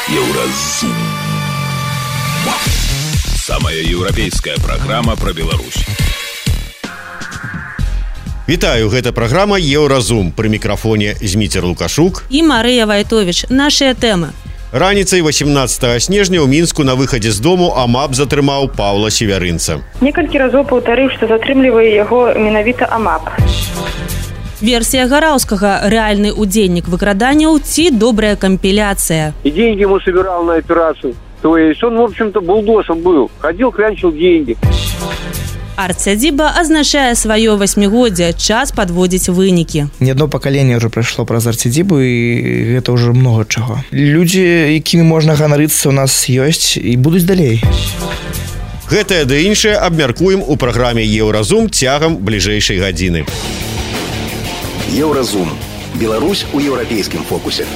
Еўразум. Самая еўрапейская праграма пра Беларусь. Вітаю, гэта праграма Еўразум. Пры мікрафоне Зміцер Лукашук і Марыя Вайтовіч. Нашыя тэмы. Раніцай 18 снежня ў Мінску на выхадзе з дому АМАП затрымаў Паўла Севярынца. Некалькі разоў паўтарыў, што затрымлівае яго менавіта АМАП. Версія Гараўскага. Рэальны удзельнік выкраданняў ці добрая компиляция. И деньги ему собирал на операцию. То есть он, в общем-то, булдосом был. Ходил, клянчил деньги. Арт-сядзіба азначае сваё 8-годзе, час падводзіць вынікі. Не одно пакаленне ўжо прайшло праз арт-сядзібу, і гэта ўжо многа чаго. Людзі, якімі можна ганарыцца, у нас ёсць і будуць далей. Гэтае ды іншае абмяркуем у праграме Еўразум цягам бліжэйшай гадзіны. Еўразум. Беларусь у еўрапейскім фокусе.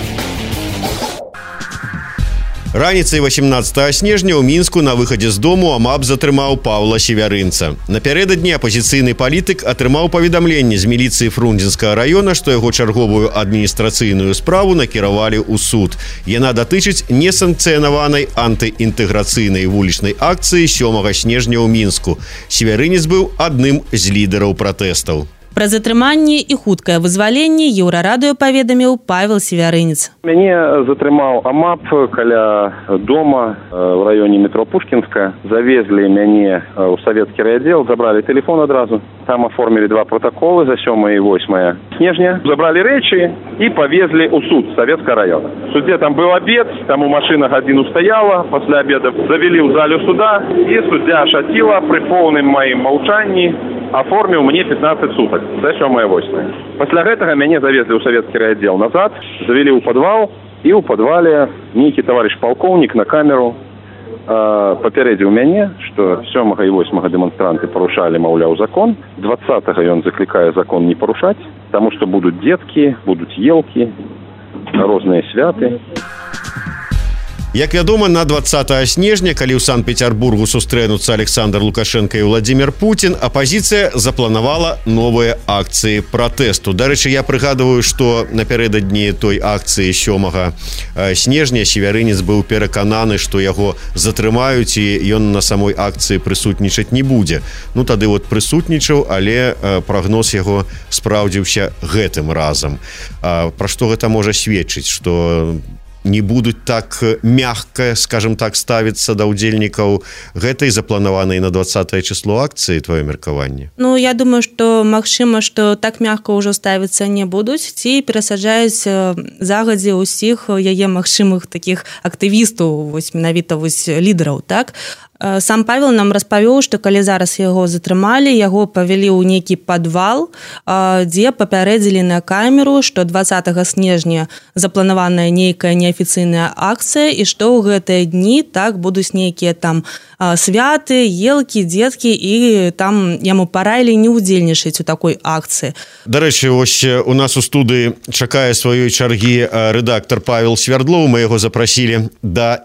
Раніцай 18 снежня ў Мінску на выхадзе з дому АМАП затрымаў Паўла Севярынца. Напярэдадні апазіцыйны палітык атрымаў паведамленне з міліцыі Фрунзенскага раёна, што яго чарговую адміністрацыйную справу накіравалі ў суд. Яна датычыць несанкцыянаванай антыінтэграцыйнай вулічнай акцыі 7 снежня ў Мінску. Севярынец быў адным з лідараў пратэстаў. Пра затрыманне і хуткае вызваленне Еўрарадыё паведаміў Павел Севярынец. Мяне затрымаў АМАП каля дома в раёне метро Пушкінская. Завезли мяне ў савецкі райаддзел, забрали телефон адразу. Там оформили 2 протоколы за 7 и 8 снежня. Забрали рэчы и повезли ў суд Советского района. В суде там был обед, там у машина гадзіну стояла. После обеда завели в залю суда, и суддя Шатила при полным моим молчании оформил мне 15 суток за 7-8. После гэтага мяне завезли ў савецкі райаддзел назад, завели ў падвал, і ў падвале нейкі товарищ полковник на камеру папярэдзіў мяне, што 7 і 8 дэманстранты парушалі, маўляў, закон. 20-го ён заклікае закон не парушаць, таму што будуць дзеткі, будуць елкі, розныя святы. Як вядома, на 20 снежня, калі ў Санкт-Петербургу сустрэнуцца Александр Лукашенко і Владимир Путин, апазіцыя запланавала новыя акцыі пратэсту. Дарэчы, я прыгадываю, што напярэдадні той акцыі 7 снежня Севярынец быў перакананы, што яго затрымаюць і ён на самой акцыі прысутнічаць не будзе. Ну, тады вот прысутнічаў, але прагноз яго спраўдзіўся гэтым разам. Пра што гэта можа сведчыць, што не будуць так мягка, скажем так, ставіцца да ўдзельнікаў гэтай запланаванай на 20 число акцыі, твоё меркаванне? Ну, я думаю, што магчыма, што так мягка ўжо ставіцца не будуць, ці перасаджаюць загадзя ўсіх яе магчымых такіх актывістаў, вось менавіта вось лідараў, так? Сам Павел нам распавёў, што калі зараз яго затрымалі, яго павялі ў нейкі падвал, дзе папярэдзілі на камеру, што 20 снежня запланаваная нейкая неафіцыйная акцыя, і што ў гэтыя дні так будуць нейкія там святы, елкі, дзеткі, і там яму параілі не ўдзельнічаць у такой акцыі. Дарэчы, ось у нас у студыі чакае сваёй чаргі рэдактар Павел Свярдлоў. Мы яго запрасілі на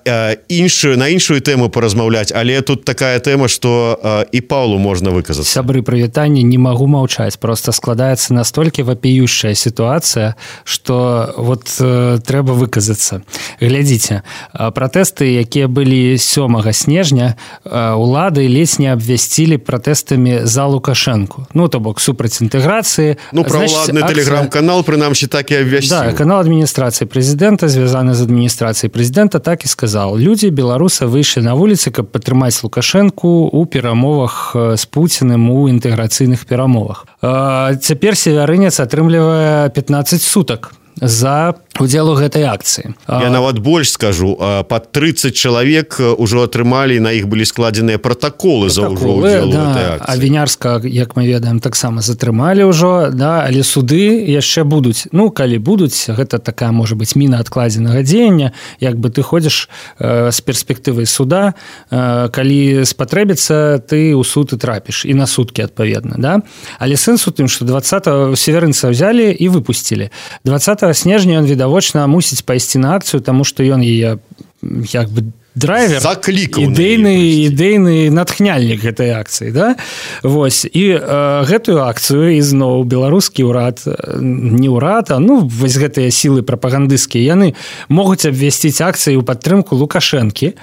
іншую тэму паразмаўляць, але тут такая тэма, што і Паўлу можна выказацца. Сябры, прывітанне, не магу маўчаць. Просто складаецца настолькі вапіющая сітуацыя, што вот трэба выказацца. Глядзіце, пратэсты, якія былі 7 снежня, улады ледзь не абвясцілі пратэстамі за Лукашэнку. Ну, то бок, супраць інтэграцыі. Ну, праваладны тэлеграм-канал, прынамсі, так і абвясціў. Да, канал адміністрацыі прэзідэнта, звязаны з адміністрацыяй прэзідэнта, так і сказаў. Людзі беларусы выйшлі на вуліцы, каб падтрымаць Лукашэнку ў перамовах з Пуціным у інтэграцыйных перамовах. Цяпер Севярынец атрымлівае 15 сутак за удзел у гэтай акцыі. Я нават больш скажу, пад 30 чалавек ужо атрымалі, на іх былі складзеныя протаколы за ўжо удзел у гэтай акцыі. А Вінярска, як мы ведаем, таксама затрымалі ўжо, да, але суды яшчэ будуць. Ну, калі будуць, гэта такая, можа быць, міна адкладзенага дзеяння, як бы ты ходзіш з перспектывай суда, калі спатрэбіцца, ты ў суд і трапіш, і на суткі, адпаведна, да? Але сэнс у тым, што 20 Севярынца взялі і выпусцілі. 20 снежня ён відавочна мусіць пайсці на акцыю, таму што ён яе як бы драйвер, ідэйны натхняльнік гэтай акцыі, да? Вось, і гэтую акцыю ізноў беларускі ўрад, не ўрад, а вось гэтыя сілы прапагандысцкія, яны могуць абвясціць акцыі ў падтрымку Лукашэнкі,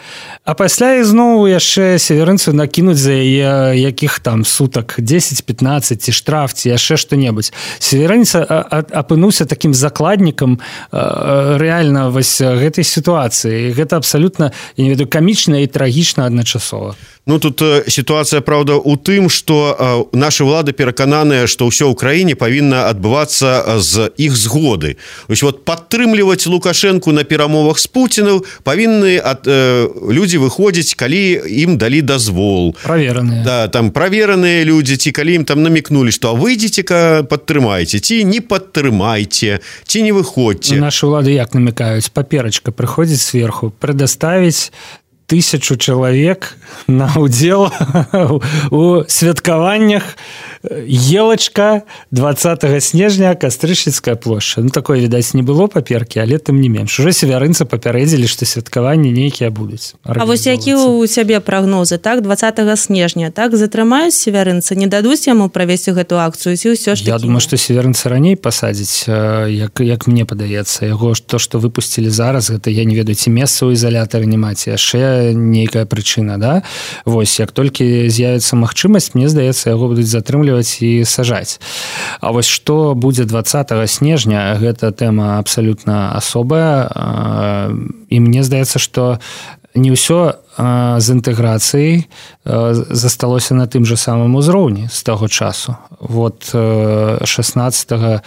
а пасля ізноў яшчэ северынцу накінуць за яе якіх там сутак 10-15 ці штраф, ці яшчэ што-небудзь. Северынец апынуўся такім закладнікам рэальна вось гэтай сітуацыі. Гэта абсалютна, я не ведаю, камічна і трагічна адначасова. Тут сітуацыя, праўда, у тым, што нашы ўлады перакананыя, што ўсё ў краіне павінна адбывацца з іх згоды. Падтрымліваць Лукашэнку на перамовах з Пуцінам павінны людзі выходзіць, калі ім далі дазвол. Правераныя. Да, там правераныя людзі, ці калі ім там намікнулі, што выйдзеце-ка, падтрымайце, ці не падтрымайце, ці не выходзьце. Нашы ўлады як намікаюць? Паперачка прыходзіць сверху, прадаставіць 1000 чалавек на ўдзел у святкаваннях елачка 20 снежня, Кастрычніцкая плошча. Такое, відаць, не было паперкі, але тым не менш. Ужо северынцы папярэдзілі, што святкаванні нейкія будуць. А вось які ў цябе прагнозы, так, 20 снежня, так, затрымаюць северынцы, не дадуць яму правесці гэту акцыю, ці ўсё ж такі? Я думаю, што северынцы раней пасадзіць, як мне падаецца. Яго то, што выпусцілі зараз, гэта, я не ведаю, ці месца ў ізалятары няма, ці яшчэ нейкая прычына, да? Вось, як толькі з'явіцца магчымасць, мне здаецца, яго будуць затрымліваць і сажаць. А вось што будзе 20 снежня, гэта тэма абсалютна асобая, і мне здаецца, што не ўсё з інтэграцыяй засталося на тым жа самым узроўні з таго часу. 16-го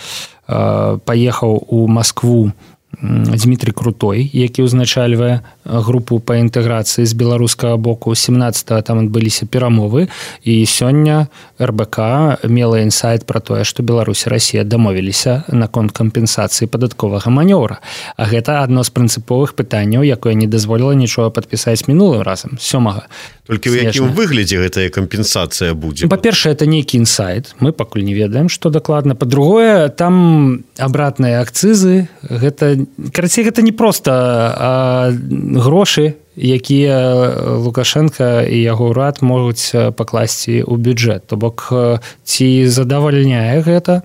паехаў у Маскву Дмітрий Крутой, які узначальвае групу па інтэграцыі з беларускага боку. 17-го там адбыліся перамовы, і сёння РБК мела інсайт пра тое, што Беларусь і Расія дамовіліся наконт кампенсацыі падатковага манёвра. А гэта адно з прынцыповых пытанняў, якое не дазволіла нічога падпісаць мінулым разам, 7-го. Толькі ў якім выглядзе гэтая кампенсацыя будзе? Па-першае, это нейкі інсайт, мы пакуль не ведаем, што дакладна. Па-другое, там абратныя акцызы, карацей, гэта не проста грошы, якія Лукашенко і яго ўрад могуць пакласці ў бюджэт. То бок, ці задавальняе гэта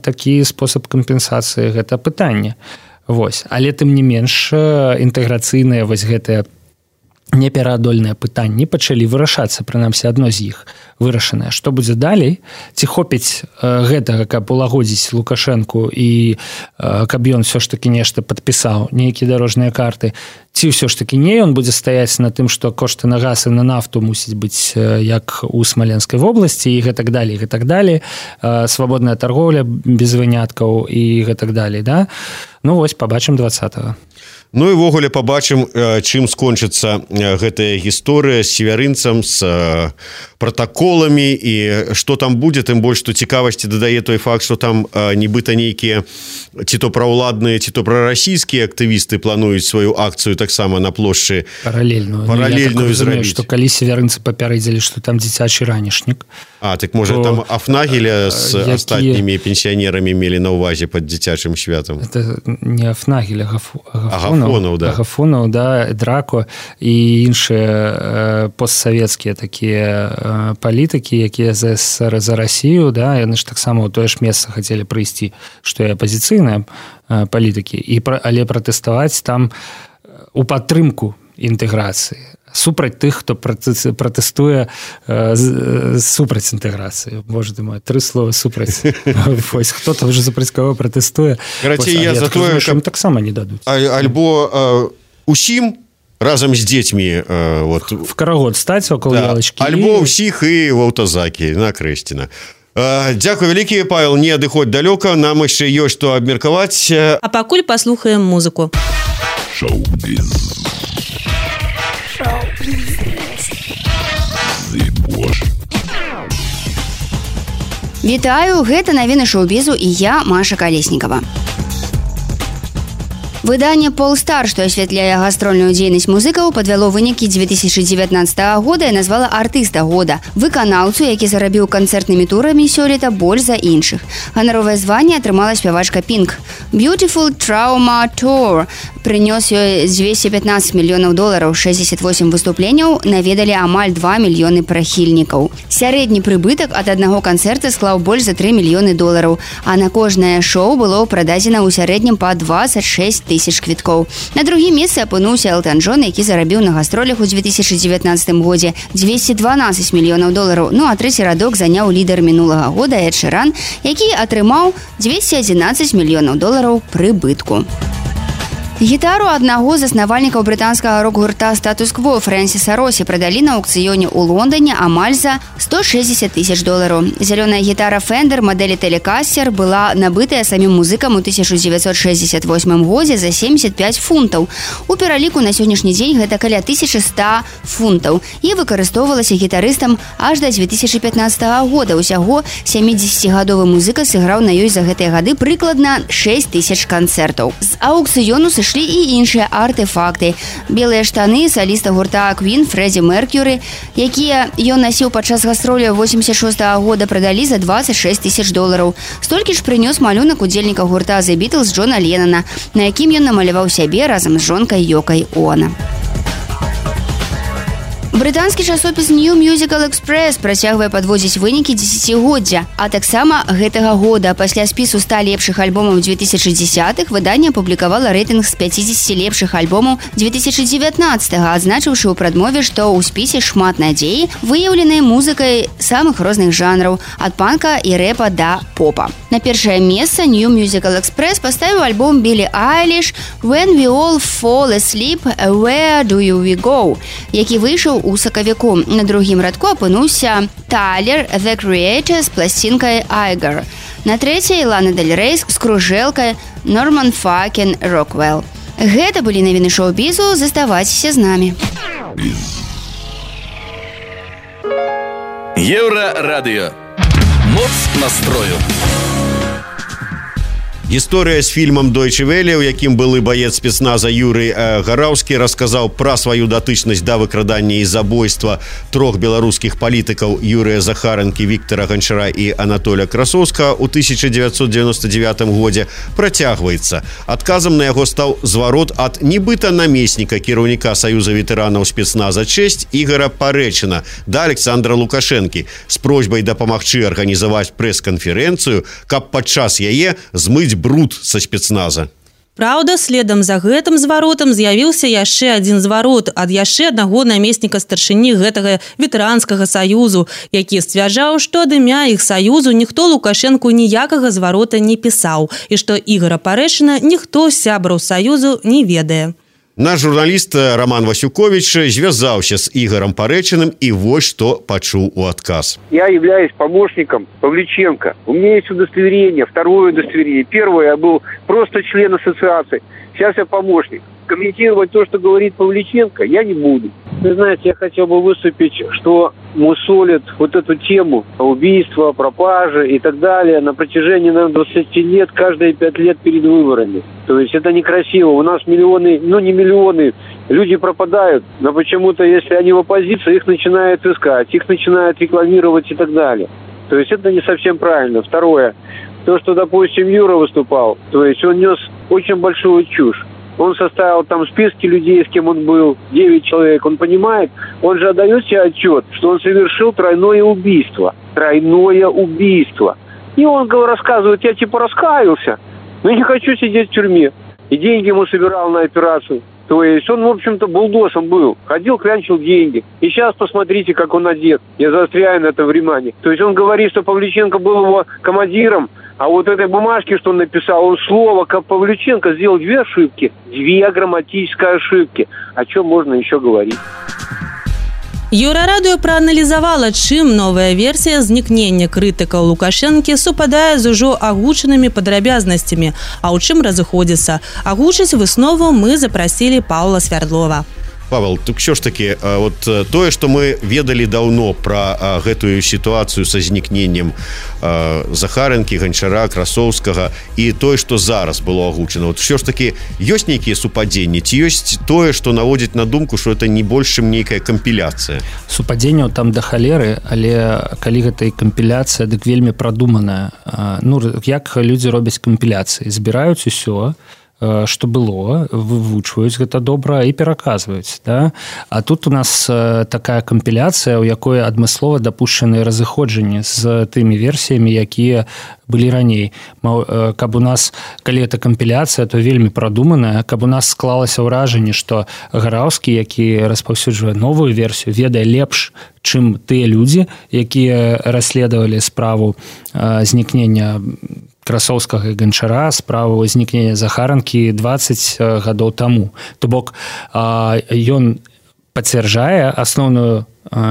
такі спосаб кампенсацыі, гэта пытанне. Вось. Але тым не менш, інтэграцыйныя вось гэтыя непераадольныя пытанні пачалі вырашацца, прынамсі адно з іх вырашанае. Што будзе далей? Ці хопіць гэтага, каб улагодзіць Лукашэнку і каб ён ўсё ж такі нешта падпісаў, нейкія дарожныя карты, ці ўсё ж такі не, ён будзе стаяць на тым, што кошты на газ і на нафту мусіць быць як у Смаленскай вобласці і гэтак далей, свабодная таргоўля без выняткаў і гэтак далей, да? Вось, пабачым 20-го. І ввогуле пабачым, чым скончыцца гэтая гісторыя з северынцам, з пратаколамі і што там будзе, тым больш, што цікавасці дадае той факт, што там нібыта нейкія ці то праўладныя, ці то прарасійскія актывісты плануюць сваю акцыю таксама на плошчы паралельную зрабіць. Што калі северынцы папярэдзілі, што там дзіцячы ранішнік. Так можа там Афнагеля з астатнімі пенсіянерамі мелі на ўвазе пад дзіцячым святам? Это не Афнагеля, Агафонаў, да, Драко і іншыя постсавецкія такія палітыкі, якія за СССР, за Расію, да, яны ж таксама ў тое ж месца хацелі прыйсці, што і апазіцыйныя палітыкі, але пратэставаць там у падтрымку інтэграцыі, супраць тых, хто пратэстуе супраць інтэграцыі. Боже ты мой, 3 слова супраць. Вось, хто-то вже супраць кого пратэстуе. Карацей, я за тое, каб таксама не дадуць. Альбо усім разам з дзецьмі в карагод стаць около ялачкі. Альбо ўсіх і в аўтазакі на Крэсціна. Дзякуй вялікі, Павел, не адыходзь далёка, нам яшчэ ёсць што абмеркаваць. А пакуль паслухаем музыку. Шоу-біз. Вітаю, гэта навіны шоу-бізу і я, Маша Калеснікава. Выданне Polestar, што асвятляе гастрольную дзейнасць музыкаў, падвяло вынікі 2019 года і назвала артыста года, выканаўцу, які зарабіў канцэртнымі турамі сёлета больш за іншых. Ганаровае званне атрымала спявачка Pink. Beautiful Trauma Tour прынёс ёй 215 мільёнаў долараў, 68 выступленняў наведалі амаль 2 мільёны прыхільнікаў. Сярэдні прыбытак ад аднаго канцэрта склаў больш за 3 мільёны долараў, а на кожнае шоу было прададзена ў сярэднім па 26 тысяч квіткоў. На другім месцы апынуўся Элтан Джон, які зарабіў на гастролях у 2019 годзе 212 мільёнаў долараў. Ну а трэці радок заняў лідар мінулага года Эд Ширан, які атрымаў 211 мільёнаў долараў прыбытку. Гітару аднаго з заснавальнікаў брытанскага рок-гурта «Статус-кво» Фрэнсіса Росі прадалі на аўкцыёне ў Лондоне амаль за 160 тысяч долараў. Зялёная гітара Fender мадэлі Telecaster была набытая самім музыкам у 1968 годзе за 75 фунтаў. У пераліку на сённяшні дзень гэта каля 1100 фунтаў і выкарыстоўвалася гітарыстам аж да 2015 года. Усяго 70-гадовы музыка сыграў на ёй за гэтыя гады прыкладна 6 тысяч канцэртаў. З аўкцыёну сышлі і іншыя артэфакты. Белыя штаны саліста гурта Queen Фрэдзі Меркьюры, якія ён насіў падчас гастроляў 86 года, прадалі за 26 тысяч долараў. Столькі ж прынёс малюнак удзельніка гурта The Beatles Джона Леннона, на якім ён намаляваў сябе разам з жонкай Йокай Оно. Брытанскі часопіс New Musical Express працягвае падводзіць вынікі дзесяцігоддзя, а таксама гэтага года. Пасля спісу 100 лепшых альбомаў 2010-х выданне апублікавала рэйтынг з 50 лепшых альбомаў 2019-га, адзначыўшы ў прадмове, што ў спісе шмат надзеі, выяўленай музыкай самых розных жанраў, ад панка і рэпа да попа. На першае месца New Musical Express паставіў альбом Білі Айліш «When We All Fall Asleep, Where Do We Go», які выйшаў у сакавіку. На другім радку апынуўся Тайлер The Creator з пласцінкай «Айгар». На трэцяй Лана Дель Рей з кружэлкай «Норман Факен Роквелл». Гэта былі навіны шоу-бізу. Заставайцеся з намі. Еўрарадыё. Моц настрою. Гісторыя з фільмам «Дойче Веле», у якім былы баец спецназа Юрый Гараўскі расказаў пра сваю датычнасць да выкрадання і забойства трох беларускіх палітыкаў Юрыя Захаранкі, Віктара Ганчара і Анатоля Красоўскага ў 1999 годзе працягваецца. Адказам на яго стаў зварот ад нібыта намесніка кіраўніка Саюза ветэранаў спецназа «Чэсць» Ігора Парэчына да Александра Лукашэнкі з просьбай дапамагчы арганізаваць прэс-канферэнцыю, каб падчас яе змыць бруд са спецназа. Праўда, следам за гэтым зваротам з'явіўся яшчэ адзін зварот ад яшчэ аднаго намесніка старшыні гэтага ветэранскага саюзу, які сцвярджаў, што ад імя іх саюзу ніхто Лукашэнку ніякага зварота не пісаў і што Ігора Парэчына ніхто з сябраў саюзу не ведае. Наш журналіст Роман Васюкович звязаўся з Игорем Паречиным и вот что почуў у отказ. Я являюсь помощником Павличенко. У меня есть удостоверение, второе удостоверение. Первое, я был просто член ассоциации. Сейчас я помощник. Комментировать то, что говорит Павличенко, я не буду. Вы знаете, я хотел бы выступить, что мусолят вот эту тему убийства, пропажи и так далее на протяжении, наверное, 20 лет, каждые 5 лет перед выборами. То есть это некрасиво. У нас миллионы, ну не миллионы, люди пропадают, но почему-то, если они в оппозиции, их начинают искать, их начинают рекламировать и так далее. То есть это не совсем правильно. Второе, то, что, допустим, Юра выступал, то есть он нес очень большую чушь. Он составил там списки людей, с кем он был, 9 человек. Он понимает, он же отдает себе отчет, что он совершил тройное убийство. Тройное убийство. И он рассказывает, я типа раскаялся, но не хочу сидеть в тюрьме. И деньги ему собирал на операцию. То есть он, в общем-то, булдосом был. Ходил, клянчил деньги. И сейчас посмотрите, как он одет. Я заостряю на это внимание. То есть он говорит, что Павличенко был его командиром, а вот этой бумажке, что он написал, он слово, как Павличенко, сделал 2 ошибки. 2 грамматические ошибки. О чем можно еще говорить? Еўрарадыё прааналізавала, чым новая версія знікнення крытыкаў Лукашэнкі супадае з ужо агучанымі падрабязнасцямі, а ў чым разыходзіцца. Агучыць выснову мы запрасілі Паўла Свярдлова. Павел, так що ж таки, вот тое, што мы ведалі даўно пра гэтую сітуацыю са знікненнем Захарэнкі, Ганчара, Красоўскага і тое, што зараз было агучана. Вот що ж таки, ёсць нейкія супадзенні? Ці ёсць тое, што наводзіць на думку, што это не больш, чым нейкая кампіляцыя? Супадзенняў там да халеры, але калі гэта і кампіляцыя, дык вельмі прадуманая. Ну, як людзі робяць кампіляцыі? Збіраюць усё, што было, вывучваюць гэта добра і пераказваюць, да? А тут у нас такая кампіляцыя, у якой адмыслова дапушчаныя разыходжанні з тымі версіямі, якія былі раней. Каб у нас, калі это кампіляцыя, то вельмі прадуманая, каб у нас склалася ўражанне, што Гараўскі, які распаўсюджвае новую версію, ведае лепш, чым тыя людзі, якія расследавалі справу знікнення Красоўскага і Ганчара, справу знікнення Захаранкі 20 гадоў таму. То бок ён пацвярджае асноўную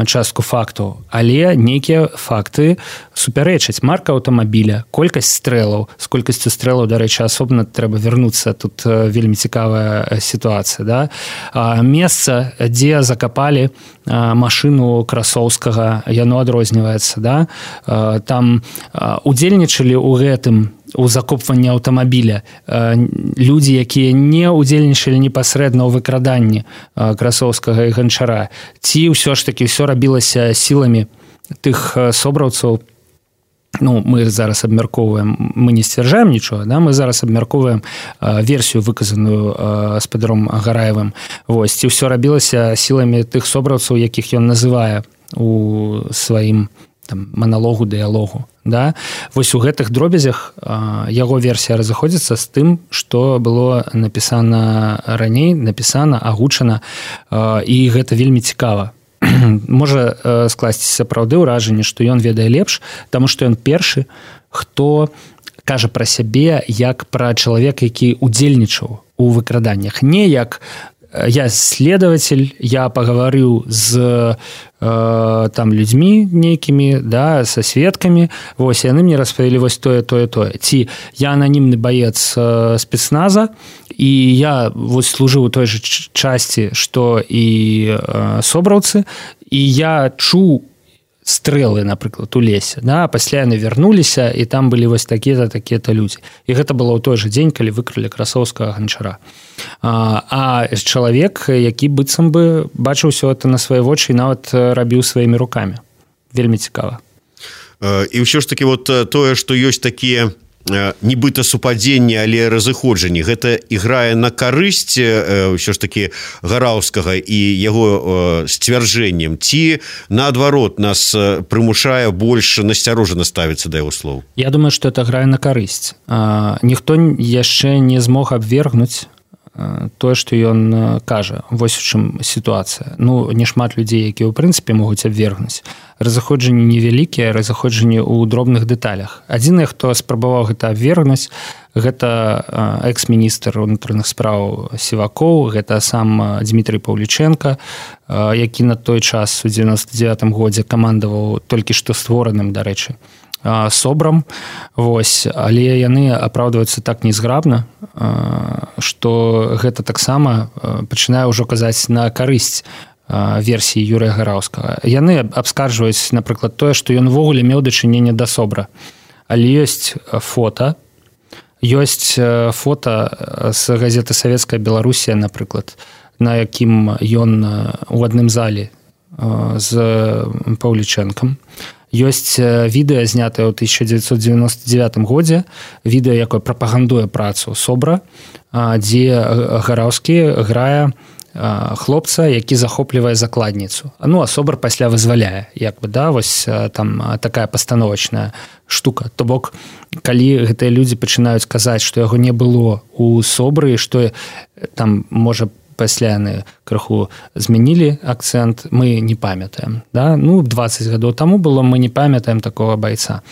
частку фактаў, але нейкія факты супярэчаць. Марка аўтамабіля, колькасць стрэлаў, з колькасцю стрэлаў, дарэчы, асобна трэба вярнуцца, тут вельмі цікавая сітуацыя, да? Месца, дзе закапалі машыну Красоўскага, яно адрозніваецца, да? Там удзельнічалі ў гэтым, у закопванні аўтамабіля людзі, якія не удзельнічалі непасрэдна ў выкраданні Красоўскага і Ганчара, ці ўсё ж такі ўсё рабілася сіламі тых собраўцаў. Ну, мы зараз абмяркоўваем, мы не сцвярджаем нічога, да? Мы зараз абмяркоўваем версію, выказаную спадаром Гараевым. Вось, ці ўсё рабілася сіламі тых собраўцаў, якіх ён называе у сваім там маналогу, дыялогу, да? Вось у гэтых дробязях яго версія разыходзіцца з тым, што было напісана раней, напісана, агучана, і гэта вельмі цікава. Можа скласціся сапраўды ўражанне, што ён ведае лепш, таму што ён першы, хто кажа пра сябе як пра чалавека, які удзельнічаў у выкраданнях, не як я следователь, я паговорю з там людзьмі нейкімі, да, са сведкамі, вось, яны мне распавялі вось тое. Ці я ананімны баец спецназа, і я вось служыў у той жа часці, што і собраўцы, і я чуў стрэлы, напрыклад, у лесе, да? Пасля яны вярнуліся, і там былі вось такія-то людзі. І гэта было ў той жа дзень, калі выкрылі Красоўскага, Ганчара. А чалавек, які быццам бы бачыў усё это на свае вочы і нават рабіў сваімі рукамі. Вельмі цікава. І ўсё ж такі вот тое, што ёсць такія нібыта супадзенні, але разыходжанні, гэта іграе на карысць ўсё ж такі Гараўскага і яго сцвярджэннем, ці наадварот нас прымушае больш насцярожана ставіцца да яго слоў? Я думаю, што это грае на карысць. Ніхто яшчэ не змог абвергнуць тое, што ён кажа. Вось у чым сітуацыя. Ну, не шмат людзей, якія ў прынцыпе могуць абвергнуць. Разыходжанні невялікія, разыходжанні ў дробных дэталях. Адзінае, хто спрабаваў гэта абвергнуць, гэта экс-міністр унутраных спраў Сівакоў, гэта сам Дмітрый Паўліченка, які на той час у 99-м годзе камандаваў толькі што створаным, дарэчы, собрам. Вось, але яны апраўдваюцца так незграбна, што гэта таксама пачынае ўжо казаць на карысць версіі Юрыя Гараўскага. Яны абскарджваюць, напрыклад, тое, што ён увогуле меў дачыненне да собра. Але ёсць фота з газеты «Савецкая Беларусія», напрыклад, на якім ён у адным залі з Паўлічэнкам. Ёсць відэа, знятае ў 1999 годзе, відэа, якое прапагандуе працу собра, дзе Гараўскі грае хлопца, які захоплівае закладніцу. Ну, а собар пасля вызваляе, як бы, да, вось там такая пастановачная штука. То бок, калі гэтыя людзі пачынаюць казаць, што яго не было ў собры, што там, можа, пасля яны крыху змянілі акцэнт, мы не памятаем, да? Ну, 20 гадоў таму было, мы не памятаем такого байца.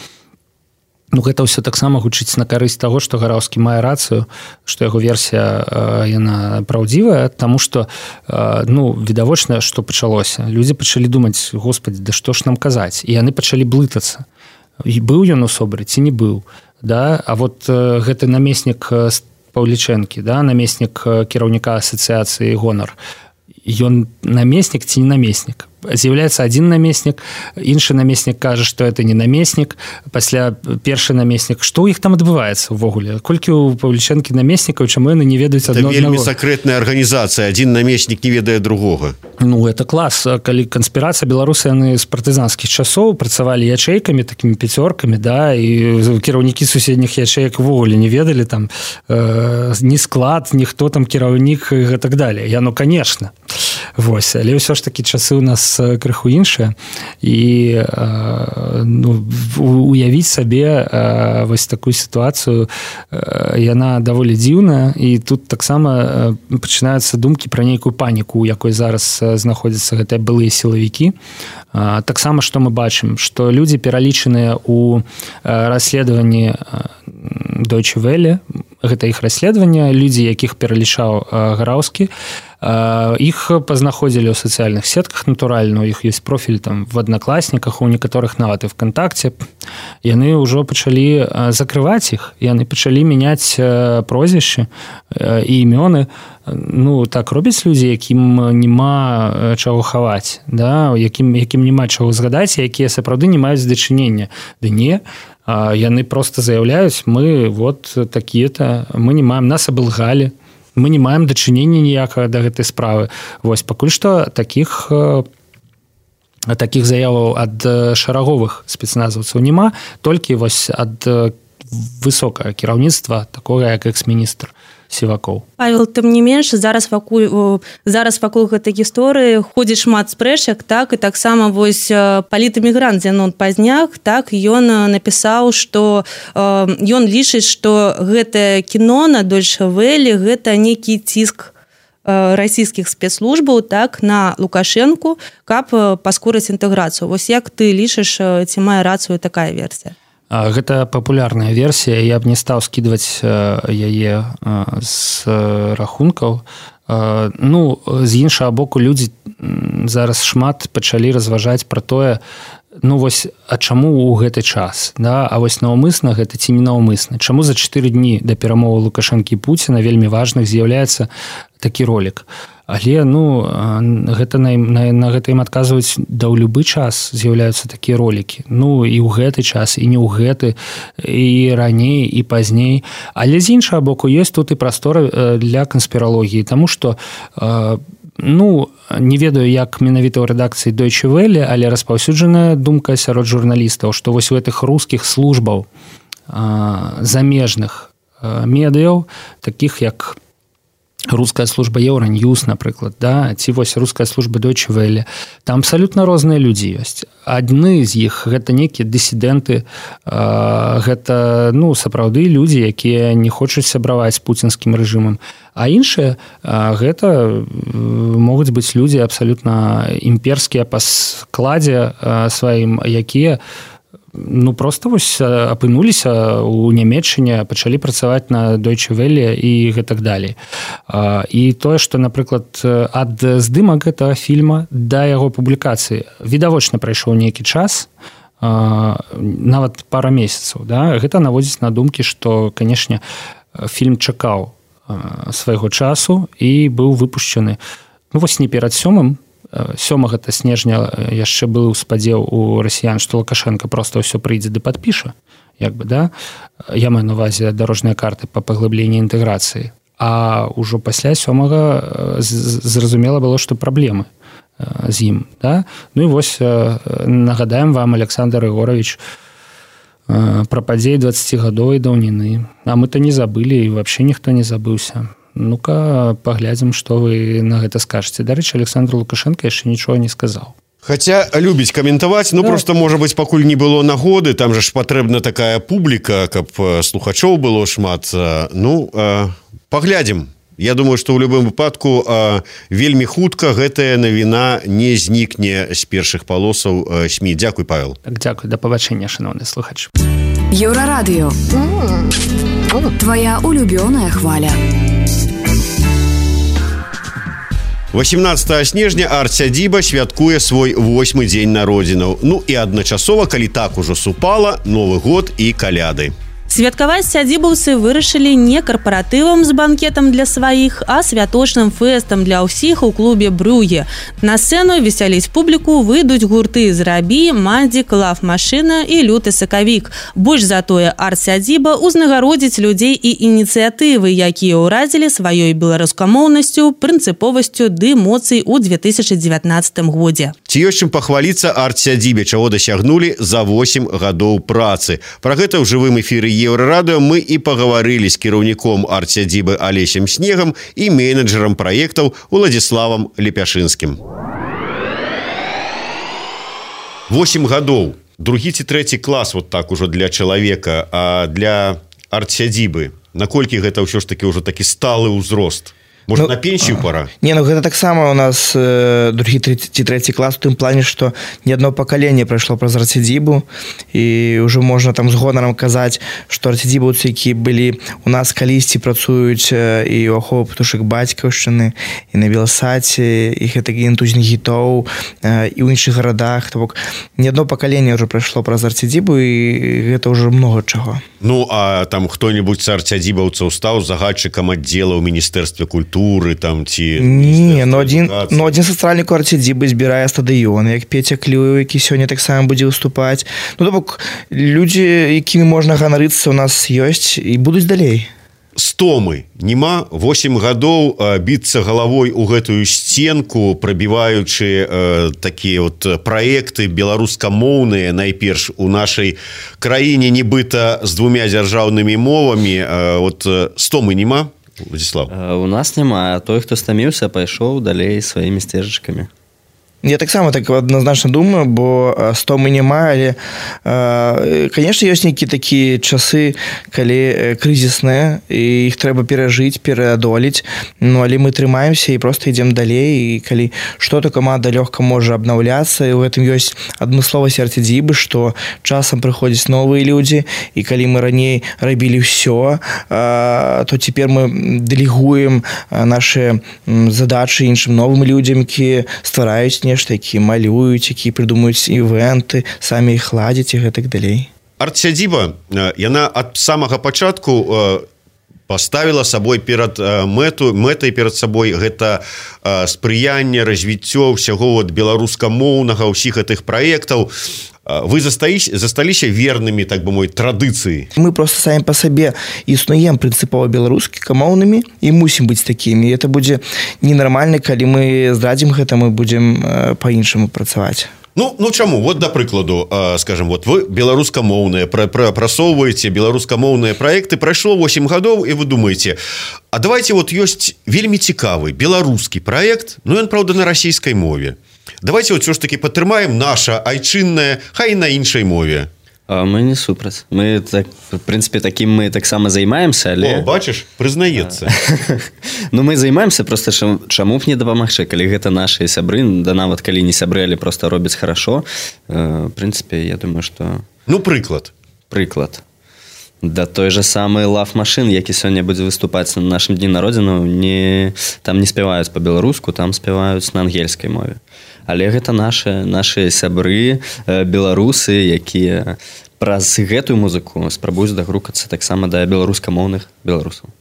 Ну, гэта ўсё таксама гучыць на карысць таго, што Гараўскі мае рацыю, што яго версія, яна праўдзівая, таму што, ну, відавочна, што пачалося. Людзі пачалі думаць, господи, да што ж нам казаць? І яны пачалі блытацца. І быў ён у собры ці не быў, да? А вот гэты намеснік Паўлічэнкі, да, намеснік кіраўніка асацыяцыі «Гонар», ён намеснік ці не намеснік? з'яўляецца один намеснік, іншы намеснік кажа, што это не намеснік, пасля першы намеснік. Што ў іх там адбываецца ўвогуле? Колькі ў Павлічэнкі намеснікаў, чаму яны не ведаюць адно аднаго? Это вельмі сакрэтная арганізацыя, один намеснік не ведае другога. Ну, это клас. Калі канспірацыя, беларусы, яны з партызанскіх часоў працавалі ячэйкамі, такімі пяцёркамі, да, і кіраўнікі суседніх ячэек увогуле не ведалі там ні склад, ніхто там кіраўнік і так далее. Ну, конечно. Вось, але ўсё ж такі часы ў нас крыху іншыя, і ну, уявіць сабе вось такую сітуацыю, яна даволі дзіўная, і тут таксама пачынаюцца думкі пра нейкую паніку, у якой зараз знаходзяцца гэтыя былыя сілавікі. Таксама, што мы бачым, што людзі пералічаныя ў расследаванні Deutsche Welle, гэта іх расследаванне, людзі, якіх пералічаў Гараўскі, іх пазнаходзілі ў сацыяльных сетках, натуральна, у іх ёсць профіль там в Аднакласніках, у некаторых нават і ВКонтакце. Яны ўжо пачалі закрываць іх, яны пачалі мяняць прозвішчы і імёны. Ну, так робяць людзі, якім няма чаго хаваць, да? якім няма чаго згадаць, якія сапраўды не маюць дачынення. Ды не, яны проста заяўляюць, мы вот такія-то, мы не маем, нас абылгалі, мы не маем дачынення ніякага да гэтай справы. Вось, пакуль што такіх заяваў ад шараговых спецназаўцаў няма, толькі вось ад высокага кіраўніцтва, такога як экс-міністр Сівакоў. Павел, тым не менш, зараз вакол гэтай гісторыі ходзіць шмат спрэчак, так, і таксама вось палітэмігрант Зенон Пазняк, так, ён напісаў, што ён лічыць, што гэтае кіно на Deutsche Welle гэта нейкі ціск расійскіх спецслужбаў, так, на Лукашэнку, каб паскорыць інтэграцыю. Вось як ты лічыш, ці мае рацыю такая версія? Гэта папулярная версія, я б не стаў скідваць яе з рахункаў. Ну, з іншага боку, людзі зараз шмат пачалі разважаць пра тое, ну вось, а чаму ў гэты час, да? А вось наўмысна гэта ці не наўмысна? Чаму за 4 дні да перамовы Лукашэнкі і Пуціна вельмі важных з'яўляецца такі ролік? Але, ну, гэта на гэта ім адказваюць, да ў любы час з'яўляюцца такія ролікі. Ну, і ў гэты час, і не ў гэты, і раней, і пазней. Але з іншага боку, ёсць тут і прастора для канспіралогіі, таму што, ну, не ведаю, як менавіта ў рэдакцыі Deutsche Welle, але распаўсюджаная думка сярод журналістаў, што вось у гэтых рускіх службаў замежных медыяў, такіх як руская служба Euronews, напрыклад, да, ці вось руская служба Deutsche Welle. Там абсалютна розныя людзі ёсць. Адны з іх гэта нейкія дысідэнты, гэта, ну, сапраўды людзі, якія не хочуць сябраваць з пуцінскім рэжымам. А іншыя гэта могуць быць людзі абсалютна імперскія па складзе сваім, якія ну, просто вось апынуліся ў Нямецчыне, пачалі працаваць на Deutsche Welle і гэтак далей. І тое, што, напрыклад, ад здымак гэтага фільма да яго публікацыі відавочна прайшоў нейкі час, нават пара месяцаў, да? Гэта наводзіць на думкі, што, канешне, фільм чакаў свайго часу і быў выпушчаны, ну, вось не перад 7 снежня яшчэ быў спадзеў у расіян, што Лукашенко проста ўсё прыйдзе ды падпіша, як бы, да? Я маю на ўвазе дарожныя карты па паглыбленні інтэграцыі. А ўжо пасля 7 зразумела было, што праблемы з ім, да? Ну і вось нагадаем вам, Александр Ігорович, пра падзеі 20гадовай даўніны. А мы-то не забылі, і вообще ніхто не забыўся. Ну-ка, паглядзім, што вы на гэта скажаце. Дарэчы, Александр Лукашенко яшчэ нічога не сказаў. Хаця любіць каментаваць, ну, да. Просто, можа быць, пакуль не было нагоды, там жа ж патрэбна такая публіка, каб слухачоў было шмат. Ну, паглядзім. Я думаю, што ў любым выпадку вельмі хутка гэтая навіна не знікне з першых палосаў СМІ. Дзякуй, Павел. Так, дзякуй, да пабачэння, шановны слухач. Еўрарадыё. Твоя улюбёная хваля. 18 снежня арт-сядзіба святкуе свой 8-й дзень народзінаў. Ну і адначасова, калі так ужо супала, Новы год і каляды. Святкаваць сядзібаўцы вырашылі не карпаратывам з банкетам для сваіх, а святочным фэстам для ўсіх у клубе «Брюге». На сцэну весяліць публіку выйдуць гурты «Зрабі», «Мандзік», «Лав-машына» і «Люты сакавік». Больш за тое, арт-сядзіба узнагародзіць людзей і ініцыятывы, якія ўразілі сваёй беларускамоўнасцю, прынцыповасцю ды эмоцый у 2019 годзе. Ці ёсць чым пахваліцца арт-сядзібе, чаго дасягнулі за 8 гадоў працы. Пра гэта ў жывым эфіры Еўрарадыё мы і пагаварылі з кіраўніком арт-сядзібы Алесем Снегам і менеджерам праектаў Уладзіславам Лепяшынскім. 8 гадоў. Другі ці трэці клас вот так ужо для чалавека, а для арт-сядзібы. Наколькі гэта ўсё ж такі ўжо такі сталы ўзрост? Может, на пенсію пора? Не, гэта таксама у нас другі ці трэці клас у тым плане, што не адно пакаленне прайшло праз арт-сядзібу, і ўжо можна там з гонарам казаць, што арт-сядзібаўцы, якія былі у нас калісьці, працуюць і ў ахове птушак бацькаўшчыны, і на Беласаце, і гэта гентузні гітоў, і ў іншых гарадах. То бок, не адно пакаленне ўжо прайшло праз арт-сядзібу, і гэта ўжо многа чаго. Ну, а там хто-небудзь з арт-сядзібаўцаў стаў загадчыкам аддзела ў Міністэрстве культуры, там, ці... Не, но адзін сацыяльнік арт-сядзібы збірае стадыёны, як Петя Клюев, які сёння таксама будзе выступаць. Ну, то бок, людзі, якімі можна ганарыцца, у нас ёсць і будуць далей. Стомы нема, 8 гадоў біцца галавой у гэтую сценку, прабіваючы такія вот праекты беларускамоўныя, найперш у нашай краіне, нібыта з 2 дзяржаўнымі мовамі. Вот стомы нема, Владзіслав? У нас няма. Той, хто стаміўся, пайшоў далей сваімі сцежачкамі. Я таксама так адназначна думаю, бо стомы няма, але, конечно, ёсць нейкія такія часы, калі крызісныя, і іх трэба перажыць, пераадолець, ну, але мы трымаемся і проста ідзем далей, і калі што-то каманда лёгка можа абнаўляцца, і ў гэтым ёсць адмысловасць арт-сядзібы, што часам прыходзяць новыя людзі, і калі мы раней рабілі ўсё, то цяпер мы дэлегуем нашы задачы іншым новым людзям, якія ствараюць нешта, якія малююць, якія прыдумаюць івенты, самі іх ладзяць і гэтак далей. Арт-сядзіба, яна ад самага пачатку паставіла сабой перад мэтай перад сабой гэта спрыянне, развіццё ўсяго беларускамоўнага, ўсіх гэтых праектаў. Вы засталіся вернымі, так бы мовіць, традыцыі? Мы просто самі па сабе існуем прынцыпова беларускамоўнымі і мусім быць такімі. Это будзе ненармальна, калі мы здрадзім гэта, мы будзем па-іншаму працаваць. Ну чаму? Вот, да прыкладу, скажем, вот вы беларускамоўныя, прасоўваеце беларускамоўныя праекты, прайшло 8 гадоў, і вы думаеце, а давайте вот ёсць вельмі цікавы беларускі праект, ну ён, праўда, на расійскай мове. Давайте вот все ж таки падтрымаем наша айчынная, хай на іншай мове. Мы не супраць. Мы, так, в принципе, таким мы таксама займаемся, але... О, бачыш, прызнаецца. Ну, мы займаемся, просто чаму б не дапамагчы, калі гэта нашыя сябры, да нават калі не сябры, але просто робяць хорошо. В принципе, я думаю, что... Ну, прыклад. Прыклад. Да той же самый Лав-машын, які сёння будзе выступаць на нашым дні народзінаў, там не спяваюць па-беларуску, там спяваюць на ангельскай мове. Але гэта нашы сябры, беларусы, якія праз гэтую музыку спрабуюць дагрукацца таксама да беларускамоўных беларусаў.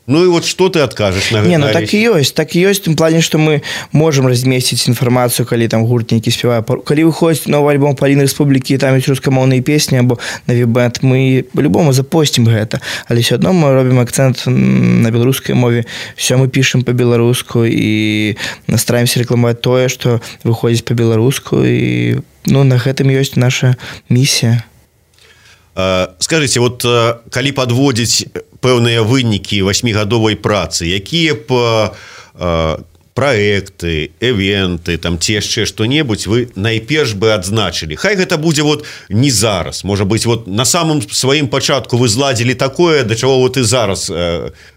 Ну и вот что ты откажешь на гэта? Не, ну так і ёсць в тым плане, што мы можам размесціць інфармацыю, калі там гурт нейкі спявае. Калі выходзіць новы альбом Паліны Рэспублікі, там ёсць рускамоўныя песні або на веб-бэнд, мы по-любому запосцім гэта. Але ўсё адно мы робім акцэнт на беларускай мове. Все мы пішам па-беларуску і стараемся рэкламаваць тое, што выходзіць па-беларуску, і ну на гэтым ёсць наша місія. Скажите, вот калі подводзіць пэўныя вынікі 8гадовай працы, якія б праекты, эвенты, там ці яшчэ што-небудзь вы найперш бы адзначылі? Хай гэта будзе вот не зараз, можа быць, вот на самым сваім пачатку вы зладзілі такое, да чаго вот і зараз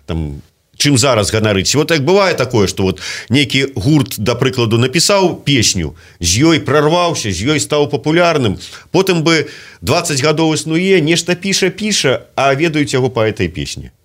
там чым зараз ганарыць. Вот як бывае такое, што вот нейкі гурт, да прыкладу, напісаў песню, з ёй прарваўся, з ёй стаў папулярным, потым бы 20 гадоў існуе, нешта піша, а ведаюць яго па этой песні.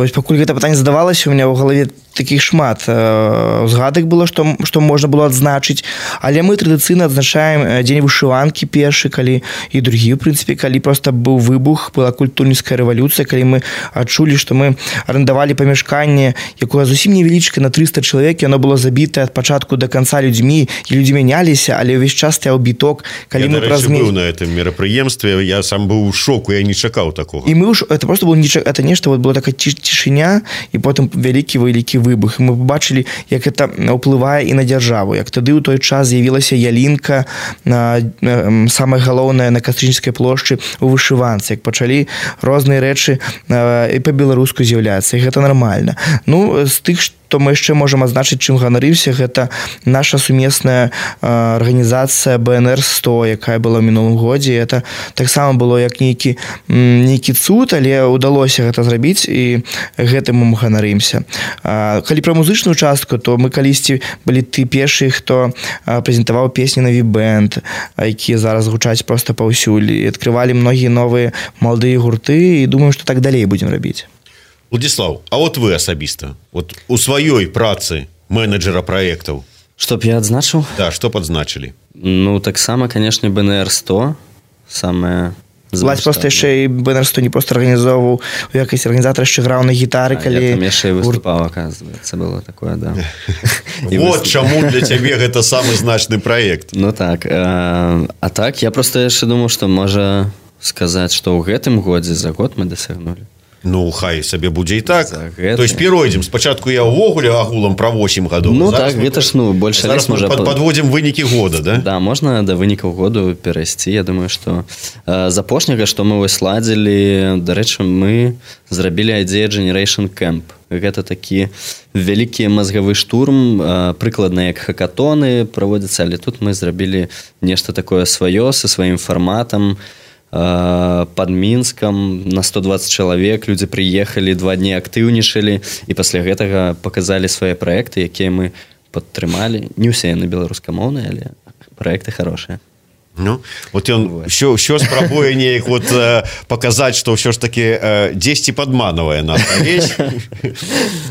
Вось пакуль гэта пытанне задавалася, у меня ў галаве такіх шмат згадак было, што можна было адзначыць, але мы традыцыйна адзначаем дзень вышыванкі першы, калі і другі, в прынцыпе, калі проста быў выбух, была культурніцкая рэвалюцыя, калі мы адчулі, што мы арендавалі памяшканне, якое зусім невялічкае, на 300 чалавек, яно было забітае ад пачатку да канца людзьмі, і людзі мяняліся, але ўвесь час стаяў біток, калі мы праз быў на этом мерапрыемстве, я сам быў у шоку, я не чакаў такога. І мы это просто было это нешта, вот была такая цішыня, і потым вялікі выбух. І мы побачылі, як это ўплывае і на дзяржаву, як тады ў той час з'явілася ялінка, самае галоўнае на Кастрычніцкай плошчы у вышыванцы, як пачалі розныя рэчы і па-беларуску з'яўляцца, і гэта нармальна. Ну, з тых, то мы яшчэ можам адзначыць, чым ганарыўся, гэта наша сумесная арганізацыя БНР-100, якая была ў мінулым годзе. Это таксама было як нейкі цуд, але ўдалося гэта зрабіць, і гэтым мы ганарымся. Калі пра музычную частку, то мы калісьці былі ты першыя, хто прэзентаваў песні на V-Band, якія зараз гучаць проста паўсюль, і адкрывалі многія новыя маладыя гурты, і думаю, што так далей будзем рабіць. Владислав, а вот вы асабіста, вот у сваёй працы менеджера праектаў, што б я адзначыў? Да, што б адзначылі? Ну, таксама, канешне, БНР-100 самае... Владь просто яшчэ і БНР-100 не проста арганізоўваў, у якасці арганізатара яшчэ граў на гітары, калі... Я там яшчэ і выступаў, аказваецца, было такое, да. Вот чаму для цябе гэта самы значны праект. Ну так, а так, я проста яшчэ думаў, што можа сказаць, што ў гэтым годзе за год мы дасягнулі. Ну, хай сабе будзе і так. То есть перайдзем. Спачатку я ўвогуле агулам пра 8 гадоў. Ну так, гэта ж, ну, больше лес можа... Падводзім вынікі года, да? Да, можна да вынікаў году перайсці. Я думаю, што з апошняга, што мы вось ладзілі, дарэчы, мы зрабілі Idea Generation Camp. Гэта такі вялікі мазгавы штурм, прыкладна як хакатоны праводзяцца, але тут мы зрабілі нешта такое сваё, са сваім фарматам, под Мінскам на 120 чалавек, людзі прыехалі, 2 дні актыўнічалі, і пасля гэтага паказалі свае праекты, якія мы падтрымалі. Не ўсе яны беларускамоўныя, але праекты хорошыя. Ну, вот ён ўсё спрабуе неяк вот паказаць, што ўсё ж такі дзесьці падманавае нас рэч,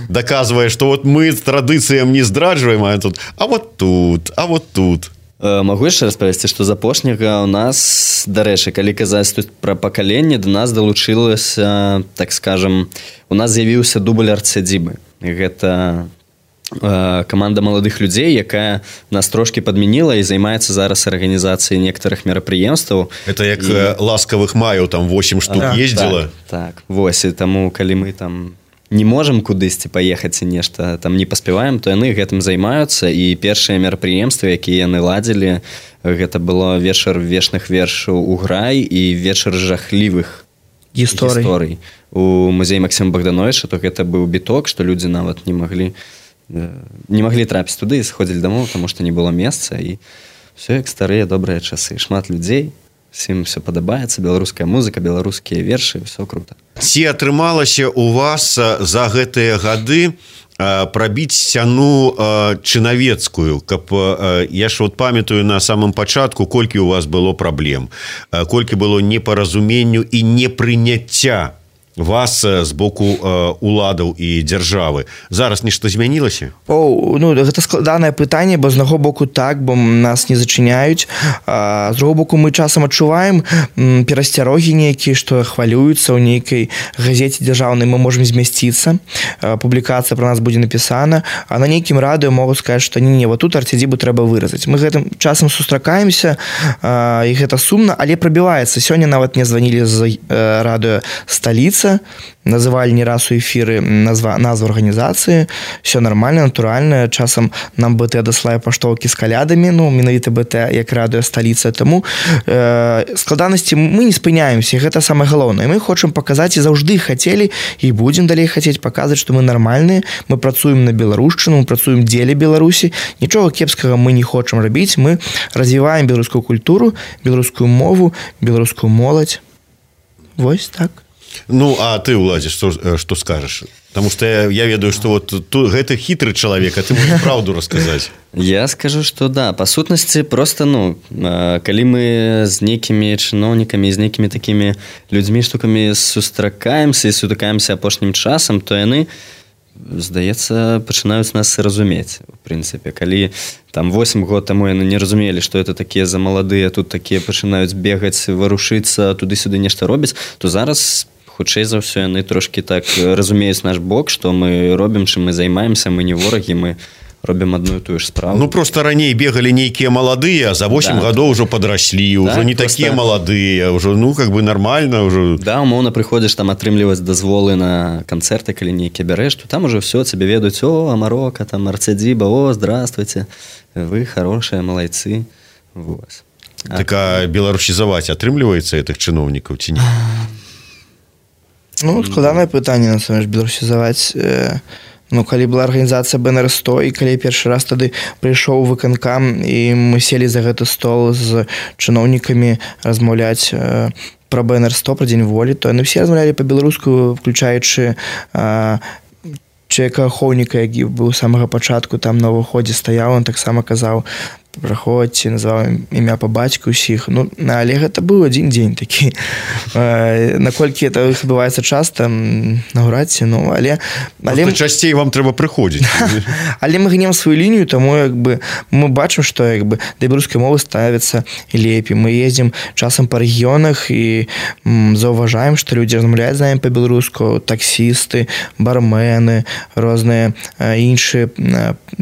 даказвае, што вот мы традыцыям не здраджваем, а вот тут. Магу яшчэ распавесці, што з апошняга ў нас, дарэчы, калі казаць тут пра пакаленне, да нас далучылася, так скажам, у нас з'явіўся дубль арт-сядзібы. Гэта каманда маладых людзей, якая нас трошкі падмяніла і займаецца зараз арганізацыяй некаторых мерапрыемстваў. Это як ласкавых маяў, там 8 штук ездзіла. Так, вось, і таму, калі мы там не можам кудысьці паехаць і нешта там не паспяваем, то яны гэтым займаюцца, і першыя мерапрыемствы, якія яны ладзілі, гэта было вечар вечных вершаў у Грай і вечар жахлівых гісторый у музеі Максіма Богдановича. То гэта быў біток, што людзі нават не маглі трапіць туды і сходзілі дамоў, таму што не было месца, і все як старыя добрыя часы, шмат людзей, всім все падабаецца, беларуская музыка, беларускія вершы, все круто. Ці атрымалася у вас за гэтыя гады прабіць сцяну чынавецкую, каб я ж вот памятаю на самым пачатку, колькі у вас было праблем, колькі было непаразуменню і непрыняцця вас з боку уладаў і дзяржавы. Зараз нешта змянілася? Ну, гэта складанае пытанне, бо з аднаго боку так, бо нас не зачыняюць. З другого боку мы часам адчуваем перасцярогі нейкія, што хвалююцца ў нейкай газеце дзяржаўнай, мы можам змясціцца, публікацыя пра нас будзе напісана, а на нейкім радыё могуць сказаць, што не, вот тут арт-сядзібу трэба выразаць. Мы гэтым часам сустракаемся, і гэта сумна, але прабіваецца. Сёння нават мне званілі з радыё «Сталіца», называлі не раз у эфіры назву арганізацыі, все нормально, натуральна, часам нам БТ даслае паштоўкі з калядамі, ну, менавіта БТ як радыё «Сталіца», таму складанасці мы не спыняемся, гэта самае галоўнае. Мы хочам паказаць і заўжды хацелі і будзем далей хацець паказаць, што мы нармальныя, мы працуем на беларушчыну, мы працуем дзеля Беларусі, нічога кепскага мы не хочам рабіць, мы развіваем беларускую культуру, беларускую мову, беларускую моладзь. Вось так. Ну, а ты, Уладзі, што скажаш? Потому что я ведаю, что вот гэта хитрый человек, а ты можешь правду рассказать. Я скажу, что да, по сутнасці просто, калі мы з нейкімі чыноўнікамі, з нейкімі такімі людзьмі, штукамі сустракаемся і сутыкаемся апошнім часам, то яны, здаецца, пачынаюць нас разумець. В прынцыпе, калі там 8 год таму яны не разумелі, што это такія за маладыя, тут такія пачынаюць бегаць, варушыцца, туды-сюды нешта робіць, то зараз хутчэй за ўсё яны трошкі так разумеюць наш бок, што мы робім, чым мы займаемся, мы не ворагі, мы робім одну і тую ж справу. Ну, просто раней бегалі нейкія маладыя, а за 8 гадоў ўжо падраслі, ўжо не такія маладыя, ўжо, как бы нормально. Да, умоўна прыходзіш там атрымліваць дазволы на канцэрты, калі нейкія бярэш, то там уже все, цябе ведаюць, о, Амарока, там, Арцедзіба, о, здравствуйте, вы хорошие, малайцы. Так, а беларусізаваць атрымліваецца гэтых чыноўнікаў ці не? Ну, складанае пытанне, на самом деле, беларусізаваць. Ну, калі была арганізацыя БНР-100, і калі першы раз тады прыйшоў выканкам, і мы селі за гэты стол з чыноўнікамі размаўляць пра БНР-100, пра Дзень волі, то яны все размаўлялі па-беларуску, включаючы чалавека ахоўніка, які быў з самага пачатку там на ўваходзе стаяў, он таксама казаў, праходзьце, называў імя па бацьку ўсіх. Ну, але гэта быў адзін дзень такі. Наколькі это адбываецца часта, наўрад ці, ну, але... Часцей вам трэба прыходзіць. Але мы гнем сваю лінію, таму, як бы, мы бачым, што, як бы, да беларускай мовы ставіцца лепей. Мы ездзім часам па рэгіёнах і заўважаем, што людзі размаўляюць з намі па-беларуску, таксісты, бармены, розныя іншыя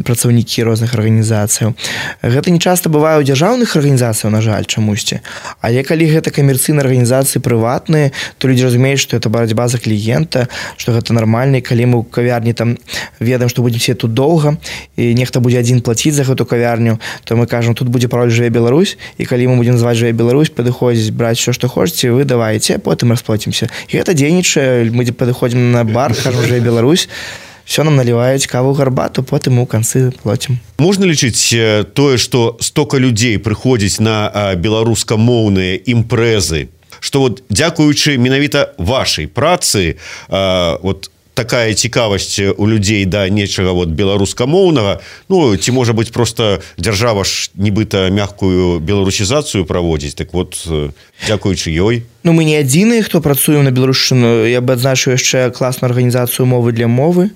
працаўнікі розных арганізацыяў. Гэта не часта бывае ў дзяржаўных арганізацыяў, на жаль, чамусьці. Але калі гэта камерцыйныя арганізацыі прыватныя, то людзі разумеюць, што гэта барацьба за кліента, што гэта нармальна, і калі мы ў кавярні там ведаем, што будзем сидець тут доўга, і нехта будзе адзін плаціць за гэту кавярню, то мы кажам, тут будзе пароль «Жыве Беларусь», і калі мы будзем называць «Жыве Беларусь», падыходзіць, браць ўсё, што хочаце, вы давайце, а потым расплоцімся. І гэта дзейнічае, мы падыходзім на бар, кажам «Жыве Беларусь», все нам наливаюць каву, гарбату, потым у канцы плоцім. Можна лічыць тое, што стока людзей прыходзіць на беларускамоўныя імпрэзы, што вот дзякуючы менавіта вашай працы вот такая цікавасць у людзей да нечага вот беларускамоўнага, ну, ці можа быць просто дзяржава ж нібыта мяккую беларусізацыю праводзіць, так вот дзякуючы ёй. Ну, мы не адзіныя, хто працуем на беларушчыну. Я бы адзначыў яшчэ класную арганізацыю «Мовы для мовы».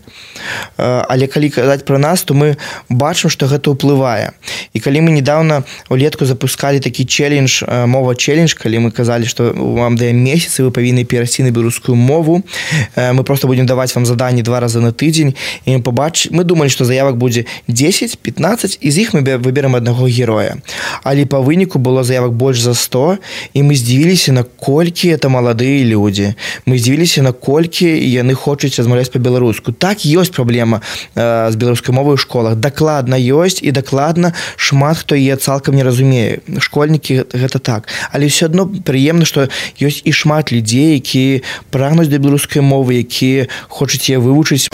Але калі казаць пра нас, то мы бачым, што гэта ўплывае. І калі мы недавно улетку запускалі такі челлендж, мова-челлендж, калі мы казалі, што вам даем месяц, і вы павінны перайсці на беларускую мову, мы просто будем даваць вам заданні 2 разы на тыдзень, і мы думалі, што заявак будзе 10-15, і з іх мы выберем аднаго героя. Але па выніку было заявак больш за 100, і мы здзівіліся, наколькі это маладыя людзі. Мы здзівіліся, наколькі яны хочуць размаўляць па-беларуску. Так, ёсць праблема з беларускай мовай у школах. Дакладна ёсць, і дакладна шмат хто яе цалкам не разумее. Школьнікі гэта так. Але ўсё адно прыемна, што ёсць і шмат людзей, якія прагнуць да беларускай мовы, якія хочуць яе вывучыць.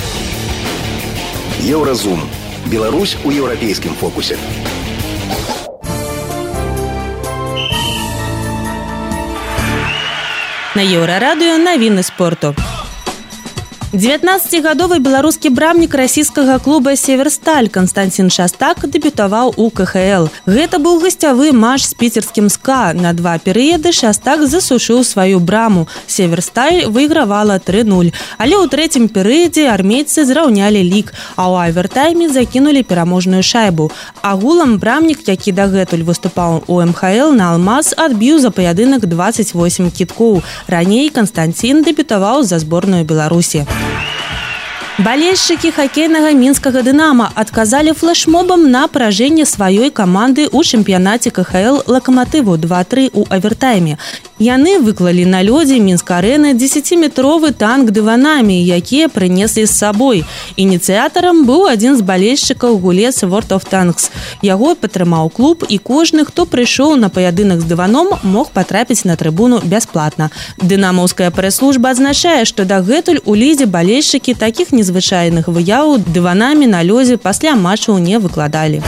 Еўразум. Беларусь у еўрапейскім фокусе. На Еўрарадыё навіны спорту. 19-гадовы беларускі брамнік расійскага клуба «Северсталь» Константин Шастак дэбютаваў у КХЛ. Гэта быў гасцявы матч з піцерскім СКА. На 2 перыяды Шастак засушыў сваю браму. «Северсталь» выйгравала 3-0. Але ў трэцім перыядзе армейцы зраўнялі лік, а ў авертайме закінулі пераможную шайбу. Агулам брамнік, які дагэтуль выступаў у МХЛ на «Алмаз», адбіў за паядынак 28 кідкоў. Раней Константин дэбютаваў за зборную Беларусі. Балельшчыкі хакейнага мінскага «Дынама» адказалі флэшмобам на паражэнне сваёй каманды ў чэмпіянаце КХЛ «Лакаматыву» 2-3 у авертайме. Яны выклалі на лёдзе Мінск-арэны 10-метровы танк дыванамі, якія прынеслі з сабой. Ініцыятарам быў адзін з балельшчыкаў гулец World of Tanks. Яго падтрымаў клуб, і кожны, хто прыйшоў на паядынак з дываном, мог патрапіць на трыбуну бясплатна. Дынамаўская прэс-служба адзначае, што дагэтуль у лідзе балельшчыкі такіх незвычайных выяў дыванамі на лёдзе пасля матчаў не выкладалі.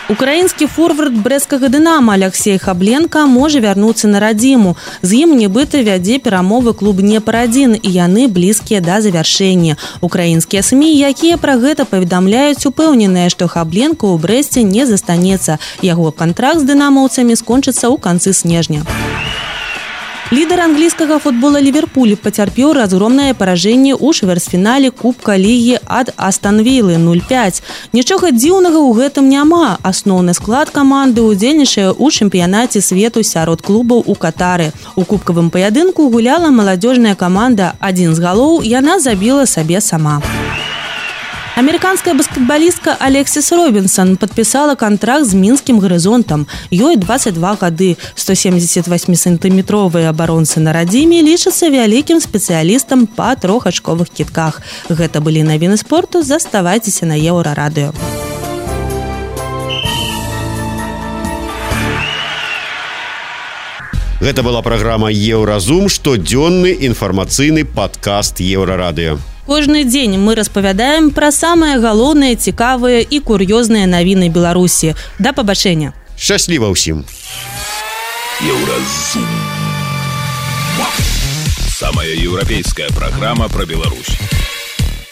Украінскі форвард брэсцкага «Дынама» Алексей Хабленко можа вярнуцца на радзіму. З ім нібыта вядзе перамовы клуб «Днепр-1», і яны блізкія да завяршэння. Украінскія СМІ, якія пра гэта паведамляюць, упэўненыя, што Хабленко ў Брэсце не застанецца. Яго кантракт з дынамаўцамі скончыцца ў канцы снежня. Лідар англійскага футбола Ливерпуль пацярпеў разгромнае паражэнне ў чвэрцьфінале Кубка Лігі ад Астан Вілы 0-5. Нічога дзіўнага ў гэтым няма. Асноўны склад каманды ўдзельнічае ў чэмпіянаце свету сярод клубаў у Катары. У кубкавым паядынку гуляла маладзёжная каманда. Адзін з галоў яна забіла сабе сама. Американская баскетболистка Алексис Робинсон подписала контракт с Минским горизонтом. Ёй 22 гады. 178-сантыметровые оборонцы на радзіме лічацца вялікім спецыялістам па трохачковых кідках. Гэта былі навіны спорту. Заставайцеся на Еўрарадыё. Гэта была праграма «Еўразум», штодзённы інфармацыйны падкаст Еўрарадыё. Кожны дзень мы распавядаем пра самыя галоўныя, цікавыя і кур'ёзныя навіны Беларусі. Да пабачэння. Шчасліва ўсім. Еўразум. Самая еўрапейская праграма пра Беларусь.